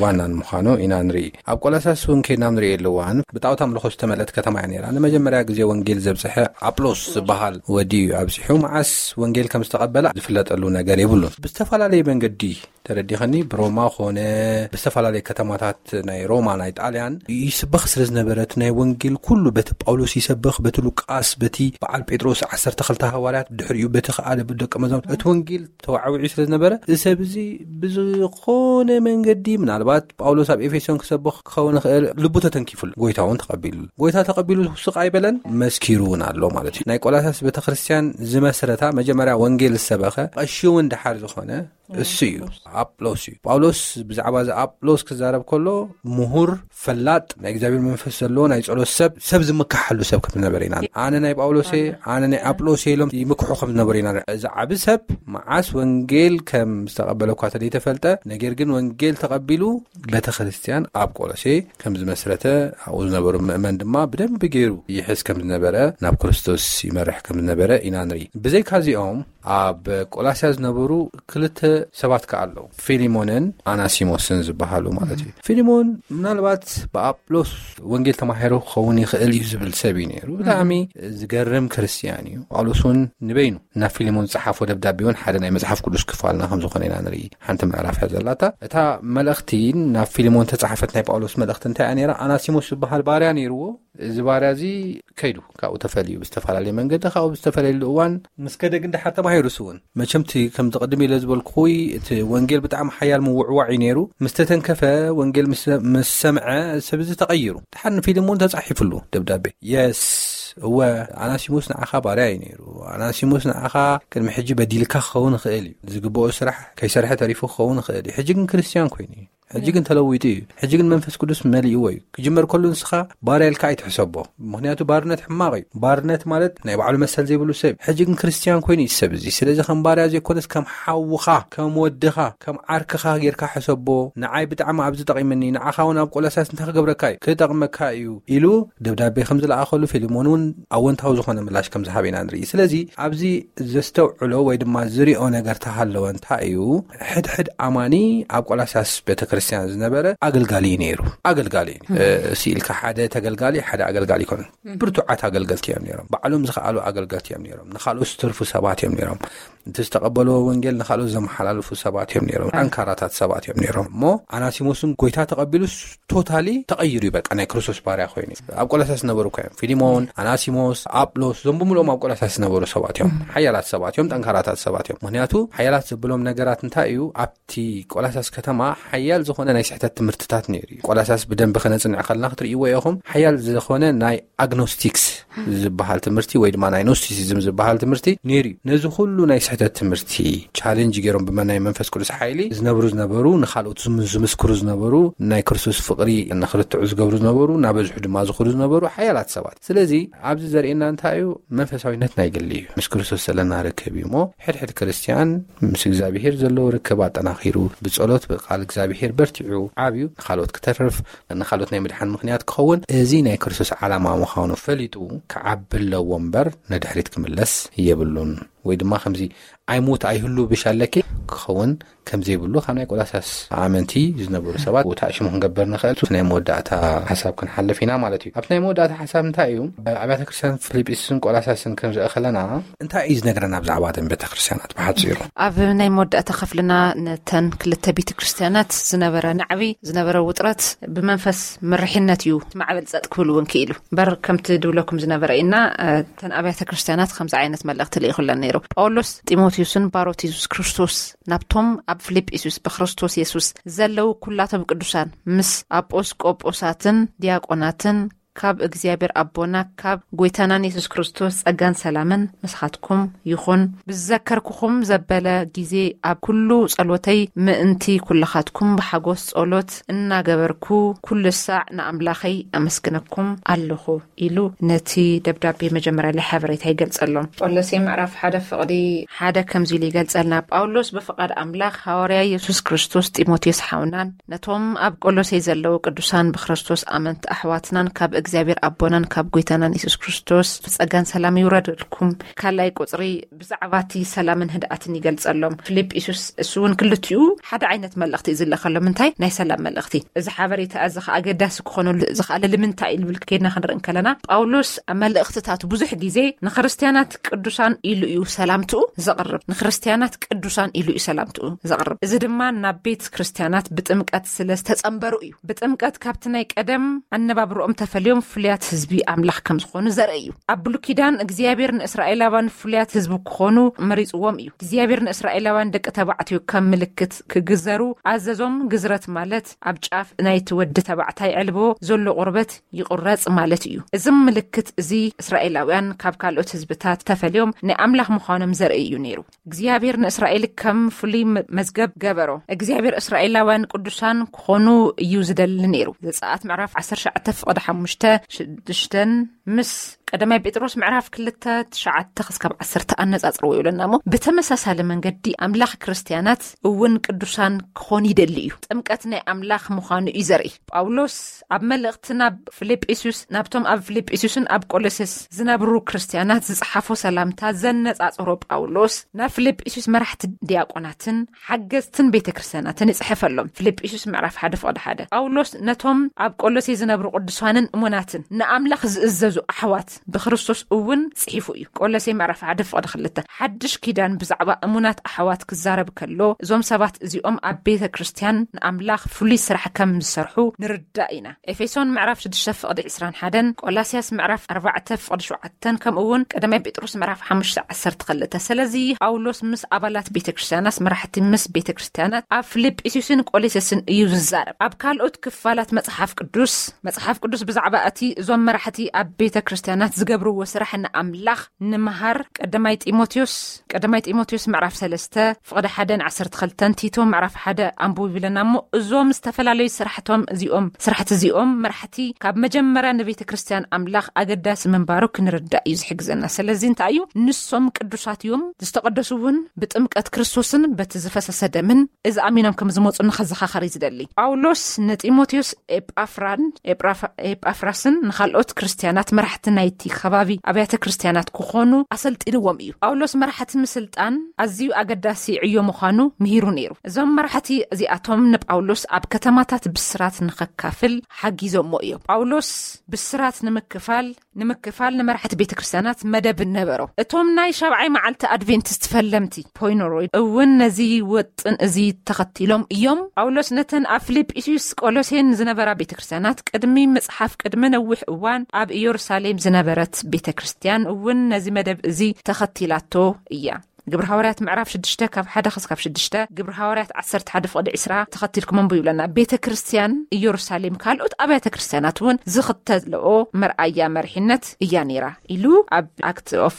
ዋናን ምዃኑ ኢና ንርኢ። ኣብ ቆላሳስ እውን ከይድና ንርኢ ኣለዋን ብጣዖት ኣምልኾ ዝተመልአት ከተማ እያ ነይራ። ንመጀመርያ ግዜ ወንጌል ዘብፅሐ ኣጵሎስ ዝበሃል ወዲ እዩ ኣብፂሑ። መዓስ ወንጌል ከም ዝተቐበለ ዝፍለጠሉ ነገር የብሉን። ብዝተፈላለየ መንገዲ ተረዲኸኒ ብሮማ ኮነ ብዝተፈላለየ ከተማታት ናይ ሮማ ናይ ጣልያን ይስበኽ ስለ ዝነበረ እቲ ናይ ወንጌል ኩሉ በቲ ጳውሎስ ይሰብኽ፣ በቲ ሉቃስ፣ በቲ በዓል ጴጥሮስ ዓሰርተ ክልተ ሃዋርያት፣ ድሕሪኡ በቲ ከኣ ደቂ መዛሙርት እቲ ወንጌል ተዋዕዊዑ ስለ ዝነበረ እዚ ሰብ እዚ ብዝኾነ መንገዲ ምናልባት ጳውሎስ ኣብ ኤፌሶን ክሰብኽ ክኸውን ይኽእል ልቡ ተተንኪፉሉ ጎይታ እውን ተቐቢሉሉ። ጎይታ ተቐቢሉ ስቕ ኣይበለን፣ መስኪሩ እውን ኣሎ ማለት እዩ። ናይ ቆላሳስ ቤተክርስትያን ዝመስረታ መጀመርያ ወንጌል ዝሰበኸ ቀሺ እውን ድሓር ዝኾነ እሱ እዩ። ኣጵሎስ እዩ። ጳውሎስ ብዛዕባ እዚ ኣጵሎስ ክዛረብ ከሎ ምሁር፣ ፈላጥ፣ ናይ እግዚኣብሔር መንፈስ ዘለዎ ናይ ጸሎት ሰብ፣ ሰብ ዝምክሓሉ ሰብ ከም ዝነበረ ኢና። ኣነ ናይ ጳውሎስ እየ፣ ኣነ ናይ ኣጵሎስ እየ ኢሎም ይምክሑ ከም ዝነበሩ ኢና። እዚ ዓቢ ሰብ መዓስ ወንጌል ከም ዝተቐበለ እኳ ተደይተፈልጠ፣ ነገር ግን ወንጌል ተቐቢሉ ቤተ ክርስቲያን ኣብ ቆሎሴ ከም ዝመስረተ፣ ኣብኡ ዝነበሩ ምእመን ድማ ብደንብ ገይሩ ይሕዝ ከም ዝነበረ፣ ናብ ክርስቶስ ይመርሕ ከም ዝነበረ ኢና ንርኢ። ብዘይካ እዚኦም ኣብ ቆላስያ ዝነበሩ ክልተ ሰባት ከኣ ኣለዉ፣ ፊሊሞንን ኣናሲሞስን ዝበሃሉ ማለት እዩ። ፊሊሞን ምናልባት ብኣጵሎስ ወንጌል ተማሂሩ ክኸውን ይኽእል እዩ ዝብል ሰብ እዩ ነይሩ። ብጣዕሚ ዝገርም ክርስትያን እዩ። ጳውሎስ እውን ንበይኑ ናብ ፊሊሞን ዝጸሓፎ ደብዳቤ እውን ሓደ ናይ መጽሓፍ ቅዱስ ክፋልና ከም ዝኾነ ኢና ንርኢ። ሓንቲ ምዕራፍ እያ ዘላታ። እታ መልእኽቲ ናብ ፊሊሞን ተጻሓፈት ናይ ጳውሎስ መልእኽቲ እንታይ እያ ነይራ? ኣናሲሞስ ዝበሃል ባርያ ነይርዎ። እዚ ባርያ እዚ ከይዱ ካብኡ ተፈልዩ ብዝተፈላለየ መንገዲ ካብኡ ብዝተፈለየሉ እዋን ምስ ከደ ግን ደሓር ተማሂሩ እሱ እውን። መቸም እቲ ከምዚ ቅድም ኢለ ዝበልኩኹይ እቲ ወንጌል ብጣዕሚ ሓያል ምውዕዋዕ እዩ ነይሩ። ምስ ተተንከፈ ወንጌል ምስ፣ ምስ ሰምዐ ሰብ እዚ ተቐይሩ። ደሓር ንፊልሞን ተጻሒፍሉ ደብዳቤ። የስ፣ እወ፣ ኣናሲሞስ ንዓኻ ባርያ እዩ ነይሩ። ኣናሲሞስ ንዓኻ ቅድሚ ሕጂ በዲልካ ክኸውን ይኽእል እዩ። ዝግብኦ ስራሕ ከይሰርሐ ተሪፉ ክኸውን ይኽእል እዩ። ሕጂ ግን ክርስትያን ኮይኑ እዩ። ሕጂ ግን ተለዊጡ እዩ። ሕጂ ግን መንፈስ ቅዱስ መሊእዎ እዩ። ክጅመር ከሉ ንስኻ ባርያ ኢልካ ኣይትሕሰቦ። ምኽንያቱ ባርነት ሕማቕ እዩ። ባርነት ማለት ናይ ባዕሉ መሰል ዘይብሉ ሰብ እዩ። ሕጂ ግን ክርስትያን ኮይኑ እዩ ሰብ እዚ። ስለዚ ከም ባርያ ዘይኮነስ ከም ሓውኻ፣ ከም ወድኻ፣ ከም ዓርክኻ ጌርካ ሕሰቦ። ንዓይ ብጣዕሚ ኣብዚ ጠቒመኒ፣ ንዓኻ እውን ኣብ ቆላስያስ እንታይ ክገብረካ እዩ? ክጠቕመካ እዩ ኢሉ ደብዳቤ ከም ዝለኣኸሉ ፊልሞን እውን ኣወንታዊ ዝኾነ ምላሽ ከም ዝሃበ ኢና ንርኢ። ስለዚ ኣብዚ ዘስተውዕሎ ወይ ድማ ዝሪኦ ነገር ተሃለወ እንታይ እዩ? ሕድሕድ ኣማኒ ኣብ ቆላስያስ ቤተክርስትያን ዝነበረ ኣገልጋሊ እዩ ነይሩ። ኣገልጋሊ እዩ። እ፣ ስኢልካ ሓደ ተገልጋሊ፣ ሓደ ኣገልጋሊ ይኮነ። ብርቱዓት ኣገልገልቲ እዮም ነይሮም። ባዕሎም ዝኸኣሉ ኣገልገልቲ እዮም ነይሮም። ንኻልኦት ዝተርፉ ሰባት እዮም ነይሮም። እቲ ዝተቐበልዎ ወንጌል ንኻልኦት ዘመሓላልፉ ሰባት እዮም ነይሮም። ጠንካራታት ሰባት እዮም ነይሮም። እሞ ኣናሲሞስን ጎይታ ተቐቢሉስ ቶታሊ ተቐይሩ እዩ። በቃ ናይ ክርስቶስ ባርያ ኮይኑ እዩ። ኣብ ቆላስያስ ዝነበሩ እኮ እዮም። ፊሊሞን፣ ኣናሲሞስ፣ ኣጵሎስ፣ እዞም ብምልኦም ኣብ ቆላስያስ ዝነበሩ ሰባት እዮም። ሓያላት ሰባት እዮም፣ ጠንካራታት ሰባት እዮም። ምኽንያቱ ሓያላት ዘብሎም ነገራት እንታይ እዩ? ኣብቲ ቆላስያስ ከተማ ሓያል ዝኾነ ናይ ስሕተት ትምህርትታት ነይሩ እዩ። ቆላሳስ ብደንቢ ከነጽንዕ ከለና ክትርእይዎ ኢኹም፣ ሓያል ዝኾነ ናይ ኣግኖስቲክስ ዝበሃል ትምህርቲ ወይ ድማ ናይ ኖስቲሲዝም ዝበሃል ትምህርቲ ነይሩ እዩ። ነዚ ኩሉ ናይ ስሕተት ትምህርቲ ቻሌንጅ ገይሮም ብመናይ መንፈስ ቅዱስ ሓይሊ ዝነብሩ ዝነበሩ፣ ንኻልኦት ዝም- ዝምስክሩ ዝነበሩ፣ ናይ ክርስቶስ ፍቕሪ ንክርትዑ ዝገብሩ ዝነበሩ፣ እናበዝሑ ድማ ዝኹሩ ዝነበሩ ሓያላት ሰባት። ስለዚ ኣብዚ ዘርእየና እንታይ እዩ? መንፈሳዊነት ናይ ግሊ እዩ። ምስ ክርስቶስ ዘለና ርክብ እዩ እሞ፣ ሕድሕድ ክርስቲያን ምስ እግዚኣብሔር ዘለዎ ርክብ ኣጠናኺሩ፣ ብጸሎት ብቃል እግዚኣብሔር በርቲዑ፣ ዓብዩ ንኻልኦት ክተርፍ፣ ንኻልኦት ናይ ምድሓን ምኽንያት ክኸውን፣ እዚ ናይ ክርስቶስ ዓላማ ምዃኑ ፈሊጡ ክዓቢ ኣለዎ እምበር፣ ንድሕሪት ክምለስ የብሉን። ወይ ድማ ከምዚ ኣይሙት ኣይህሉ ብሻለኪ ክኸውን ከም ዘይብሉ፣ ካብ ናይ ቆላሳስ ኣመንቲ ዝነበሩ ሰባት፣ ውታእ ሽሙ ክንገብር ንኽእል። ናይ መወዳእታ ሓሳብ ክንሓልፍ ኢና ማለት እዩ። ኣብቲ ናይ መወዳእታ ሓሳብ እንታይ እዩ? ኣብያተ ክርስቲያን ፊልጵስን ቆላሳስን ክንርኢ ከለና እንታይ እዩ ዝነግረና ብዛዕባ እተን ቤተ ክርስቲያናት ብሓጺሩ? ኣብ ናይ መወዳእታ ክፍልና ነተን ክልተ ቤተ ክርስቲያናት ዝነበረ ናዕቢ፣ ዝነበረ ውጥረት ብመንፈስ ምርሕነት እዩ ማዕበል ጸጥ ክብል እውን ክኢሉ። እምበር ከምቲ ድብለኩም ዝነበረ ኢና፣ እተን ኣብያተ ክርስቲያናት ከምዚ ዓይነት መልእኽቲ ልኢኹለን ነይሩ። ጳውሎስ ጢሞቴዎስን ባሮት የሱስ ክርስቶስ ናብቶም ኣብ ፊልጵስዩስ ብክርስቶስ የሱስ ዘለዉ ኩላቶም ቅዱሳን ምስ ኣጶስቆጶሳትን ዲያቆናትን ካብ እግዚኣብሔር ኣቦና ካብ ጐይታናን የሱስ ክርስቶስ ጸጋን ሰላምን ምሳኻትኩም ይኹን። ብዝዘከርኩኹም ዘበለ ጊዜ ኣብ ኩሉ ጸሎተይ ምእንቲ ኩልኻትኩም ብሓጎስ ጸሎት እናገበርኩ ኩሉ ሳዕ ንኣምላኸይ ኣመስግነኩም ኣለኹ ኢሉ ነቲ ደብዳቤ መጀመርያ ላይ ሓበሬታ ይገልጸሎም። ቆሎሴ ምዕራፍ ሓደ ፍቕዲ ሓደ ከምዚ ኢሉ ይገልጸልና። ጳውሎስ ብፍቓድ ኣምላኽ ሃዋርያ የሱስ ክርስቶስ ጢሞቴዎስ ሓውናን ነቶም ኣብ ቆሎሴ ዘለዉ ቅዱሳን ብክርስቶስ ኣመንቲ ኣሕዋትናን ካብ እግዚኣብሔር ኣቦናን ካብ ጐይታናን የሱስ ክርስቶስ ጸጋን ሰላም ይውረደልኩም። ካልኣይ ቁጽሪ ብዛዕባ እቲ ሰላምን ህድኣትን ይገልጸሎም። ፊልጵስዩስ እሱ እውን ክልቲኡ ሓደ ዓይነት መልእኽቲ እዩ ዝልእኸሎም። እንታይ ናይ ሰላም መልእኽቲ? እዚ ሓበሬታ እዚ ኸኣ ኣገዳሲ ክኾነሉ ዝኸኣለ ልምንታይ እዩ ዝብል ከይድና ክንርኢ እንከለና፣ ጳውሎስ ኣብ መልእኽትታቱ ብዙሕ ግዜ ንክርስትያናት ቅዱሳን ኢሉ እዩ ሰላምትኡ ዘቕርብ። ንክርስትያናት ቅዱሳን ኢሉ እዩ ሰላምትኡ ዘቕርብ። እዚ ድማ ናብ ቤት ክርስትያናት ብጥምቀት ስለ ዝተጸንበሩ እዩ። ብጥምቀት ካብቲ ናይ ቀደም ኣነባብርኦም ተፈልዮም ፍሉያት ህዝቢ ኣምላኽ ከም ዝኾኑ ዘርኢ እዩ። ኣብ ብሉይ ኪዳን እግዚኣብሔር ንእስራኤላውያን ፍሉያት ህዝቢ ክኾኑ መሪጽዎም እዩ። እግዚኣብሔር ንእስራኤላውያን ደቂ ተባዕትዮ ከም ምልክት ክግዘሩ ኣዘዞም። ግዝረት ማለት ኣብ ጫፍ ናይቲ ወዲ ተባዕታይ ዕልቦ ዘሎ ቁርበት ይቑረጽ ማለት እዩ። እዚ ምልክት እዚ እስራኤላውያን ካብ ካልኦት ህዝብታት ተፈልዮም ናይ ኣምላኽ ምዃኖም ዘርኢ እዩ ነይሩ። እግዚኣብሔር ንእስራኤል ከም ፍሉይ መ-፣ መዝገብ ገበሮ። እግዚኣብሔር እስራኤላውያን ቅዱሳን ክኾኑ እዩ ዝደሊ ነይሩ። ዘጸኣት ምዕራፍ ዓሰርተ ትሽዓተ ፍቕዲ ሓሙሽተ፣ ሽዱሽተን ምስ ቀዳማይ ጴጥሮስ ምዕራፍ ክልተ ትሽዓተ ክስካብ ዓሰርተ ኣነጻጽርዎ ይብለና እሞ፣ ብተመሳሳሊ መንገዲ ኣምላኽ ክርስትያናት እውን ቅዱሳን ክኾኑ ይደሊ እዩ። ጥምቀት ናይ ኣምላኽ ምዃኑ እዩ ዘርኢ። ጳውሎስ ኣብ መልእኽቲ ናብ ፊልጵስዩስ፣ ናብቶም ኣብ ፊልጵስዩስን ኣብ ቆሎሴስ ዝነብሩ ክርስትያናት ዝጸሓፎ ሰላምታ ዘነጻጽሮ ጳውሎስ፣ ናብ ፊልጵስዩስ መራሕቲ ዲያቆናትን ሓገዝትን ቤተ ክርስትያናትን ይጽሕፈሎም። ፊልጵስዩስ ምዕራፍ ሓደ ፍቕዲ ሓደ። ጳውሎስ ነቶም ኣብ ቆሎሴ ዝነብሩ ቅዱሳንን እሙናትን ንኣምላኽ ዝእዘዙ ኣሕዋት ብክርስቶስ እውን ጽሒፉ እዩ። ቆሎሴ ምዕራፍ ሓደ ፍቕዲ ክልተ። ሓድሽ ኪዳን ብዛዕባ እሙናት ኣሕዋት ክዛረብ ከሎ፣ እዞም ሰባት እዚኦም ኣብ ቤተ ክርስትያን ንኣምላኽ ፍሉይ ስራሕ ከም ዝሰርሑ ንርዳእ ኢና። ኤፌሶን ምዕራፍ ሽዱሽተ ፍቕዲ ዕስራን ሓደን፣ ቆላስያስ ምዕራፍ ኣርባዕተ ፍቕዲ ሸውዓተን፣ ከምኡ እውን ቀዳማይ ጴጥሮስ ምዕራፍ ሓሙሽተ ዓሰርተ ክልተ። ስለዚ ጳውሎስ ምስ ኣባላት ቤተ ክርስትያናት፣ መራሕቲ ምስ ቤተ ክርስትያናት ኣብ ፊልጵስዩስን ቆሎሴስን እዩ ዝዛረብ። ኣብ ካልኦት ክፋላት መጽሓፍ ቅዱስ፣ መጽሓፍ ቅዱስ ብዛዕባ እቲ እዞም መራሕቲ ኣብ ቤተ ክርስትያናት ዝገብርዎ ስራሕ ንኣምላኽ ንምሃር፣ ቀዳማይ ጢሞቴዎስ፣ ቀዳማይ ጢሞቴዎስ ምዕራፍ ሰለስተ ፍቕዲ ሓደን ዓሰርተ ክልተን፣ ቲቶ ምዕራፍ ሓደ ኣንብቡ ይብለና እሞ፣ እዞም ዝተፈላለዩ ስራሕቶም እዚኦም፣ ስራሕቲ እዚኦም መራሕቲ ካብ መጀመርያ ንቤተ ክርስትያን ኣምላኽ ኣገዳሲ ምንባሩ ክንርዳእ እዩ ዝሕግዘና። ስለዚ እንታይ እዩ? ንሶም ቅዱሳት እዮም፣ ዝተቐደሱ እውን ብጥምቀት ክርስቶስን በቲ ዝፈሰሰ ደምን እዚ ኣሚኖም ከም ዝመጹ ንኸዘኻኸር እዩ ዝደሊ። ጳውሎስ ንጢሞቴዎስ ኤጳፍራን፣ ኤጳፍ-፣ ኤጳፍራስን ንኻልኦት ክርስትያናት መራሕቲ ናይቲ ከባቢ ኣብያተ ክርስትያናት ክኾኑ ኣሰልጢንዎም እዩ። ጳውሎስ መራሕቲ ምስልጣን ኣዝዩ ኣገዳሲ ዕዮ ምዃኑ ምሂሩ ነይሩ። እዞም መራሕቲ እዚኣቶም ንጳውሎስ ኣብ ከተማታት ብስራት ንኸካፍል ሓጊዞሞ እዮም። ጳውሎስ ብስራት ንምክፋል፣ ንምክፋል ንመራሕቲ ቤተ ክርስትያናት መደብ ነበሮ። እቶም ናይ ሻብዓይ መዓልቲ ኣድቬንቲስት ፈለምቲ፣ ፖይኖሮይ፣ እውን ነዚ ወጥን እዚ ተኸቲሎም እዮም። ጳውሎስ ነተን ኣብ ፊልጵስዩስ፣ ቆሎሴን ዝነበራ ቤተ ክርስትያናት ቅድሚ ምጽሓፍ፣ ቅድሚ ነዊሕ እዋን ኣብ ኢየሩሳሌም ዝነበረት ቤተ ክርስትያን እውን ነዚ መደብ እዚ ተኸቲላቶ እያ። ግብሪ ሃዋርያት ምዕራፍ ሽዱሽተ ካብ ሓደ ክስካብ ሽዱሽተ፣ ግብሪ ሃዋርያት ዓሰርተ ሓደ ፍቕዲ ዕስራ ተኸቲልኩም ኣንብቡ ይብለና። ቤተ ክርስቲያን ኢየሩሳሌም ካልኦት ኣብያተ ክርስቲያናት እውን ዝኽተልኦ መርኣያ መርሒነት እያ ነይራ ኢሉ ኣብ ኣክት ኦፍ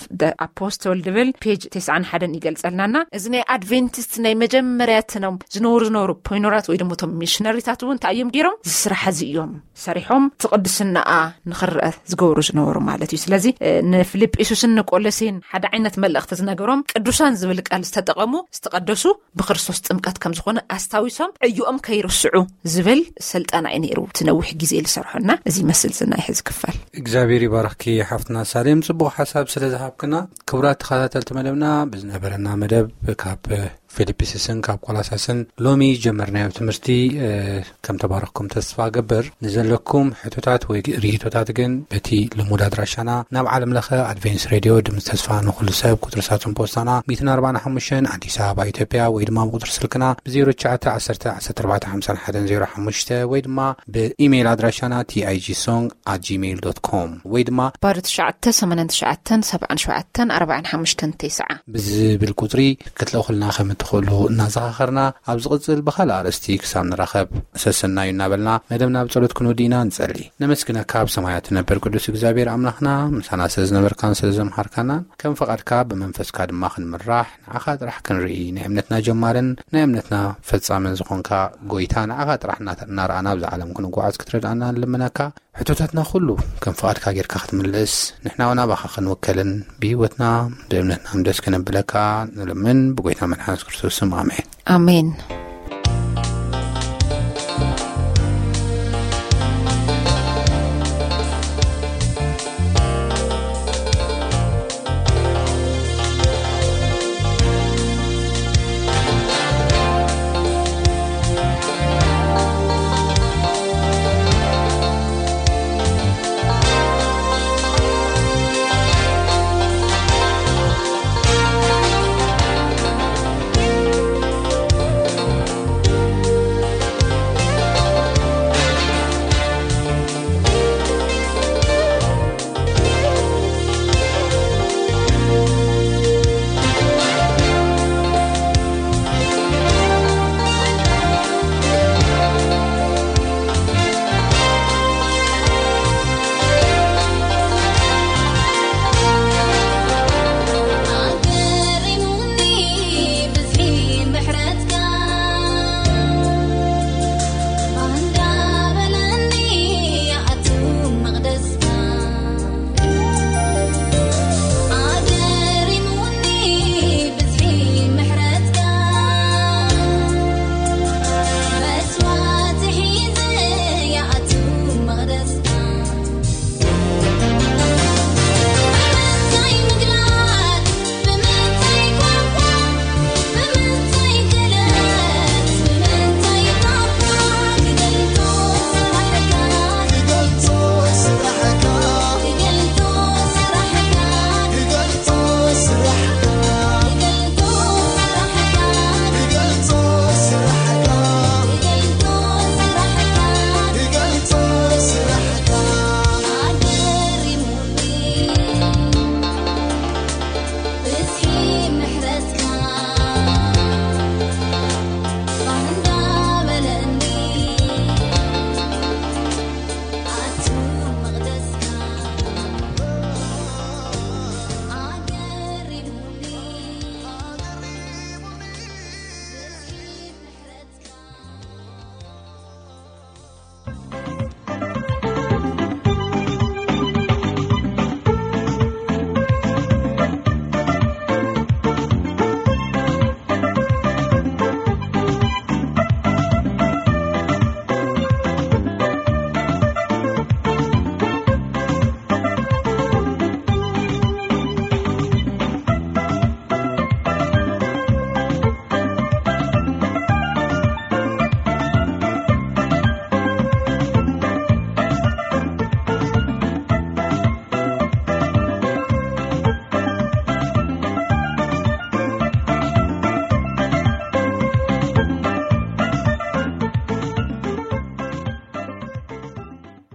ኣፖስቶል ድብል ፔጅ ተስዓን ሓደን ይገልጸልናና። እዚ ናይ ኣድቬንቲስት ናይ መጀመርያ እቶም ዝነበሩ ዝነበሩ ፖይኖራት ወይ ድማ እቶም ሚሽነሪታት እውን እንታይ እዮም ገይሮም? ዝስራሕ እዚ እዮም ሰሪሖም፣ እቲ ቅድስናኣ ንኽረአ ዝገብሩ ዝነበሩ ማለት እዩ። ስለዚ ንፊልጵስዩስን ንቆሎሴን ሓደ ዓይነት መልእኽቲ ዝነገሮም፣ ቅዱሳን ዝብል ቃል ዝተጠቐሙ ዝተቐደሱ ብክርስቶስ ጥምቀት ከም ዝኾነ ኣስታዊሶም ዕዮኦም ከይርስዑ ዝብል ስልጠና እዩ ነይሩ። እቲ ነዊሕ ግዜ ዝሰርሖና እዚ ይመስል ዝና ይሕዝ ክፋል። እግዚኣብሔር ይባርኽኪ ሓፍትና ሳሌም፣ ጽቡቕ ሓሳብ ስለ ዝሃብክና። ክቡራት ተኸታተልቲ መደብና፣ ብዝነበረና መደብ ካብ ፊልጵስስን ካብ ቆላሳስን ሎሚ ጀመርናዮ ትምህርቲ ከም ተባረኽኩም ተስፋ ገብር። ንዘለኩም ሕቶታት ወይ ርኢቶታት ግን በቲ ልሙድ ኣድራሻና ናብ ዓለም ለኸ ኣድቬንስ ሬድዮ ድምፂ ተስፋ ንኹሉ ሰብ ቁፅሪ ሳጥን ፖስታና ሚእትን ኣርባዓን ሓሙሽተን ኣዲስ ኣበባ ኢትዮጵያ ወይ ድማ ብቁፅሪ ስልክና ብ ዜሮ ትሽዓተ ዓሰርተ ዓሰርተ ኣርባዕተ ሓምሳን ሓደን ዜሮ ሓሙሽተ ወይ ድማ ብኢሜይል ኣድራሻና ቲኣይጂ ሶንግ ኣት ጂሜይል ዶት ኮም ወይ ድማ ባዶ ትሽዓተ ሰማንያን ትሽዓተን ሰብዓን ሸውዓተን ኣርባዓን ሓሙሽተን ተስዓ ብዝብል ቁፅሪ ክትልእኹልና ከም እትኽእሉ እናዘኻኸርና፣ ኣብ ዝቕጽል ብኻልእ ኣርእስቲ ክሳብ ንራኸብ፣ ሰሰናዩ እናበልና መደብና ብጸሎት ክንውድእ ኢና። ንጸሊ። ነመስግነካ፣ ኣብ ሰማያት ትነብር ቅዱስ እግዚኣብሔር ኣምላኽና፣ ምሳና ስለ ዝነበርካን ስለ ዘምሃርካናን፣ ከም ፈቓድካ ብመንፈስካ ድማ ክንምራሕ፣ ንዓኻ ጥራሕ ክንርኢ፣ ናይ እምነትና ጀማርን ናይ እምነትና ፈጻምን ዝኾንካ ጎይታ፣ ንዓኻ ጥራሕ እናተ-፣ እናረኣና ኣብዚ ዓለም ክንጓዓዝ ክትረድኣና ንልምነካ። ሕቶታትና ኩሉ ከም ፍቓድካ ጌርካ ክትምልስ፣ ንሕና እውን ኣባኻ ክንውከልን ብህይወትና ብእምነትና ደስ ከነብለካ ንልምን፣ ብጎይታ መድሓኒስ ክርስቶስ ስም፣ ኣሜን። ኣሜን።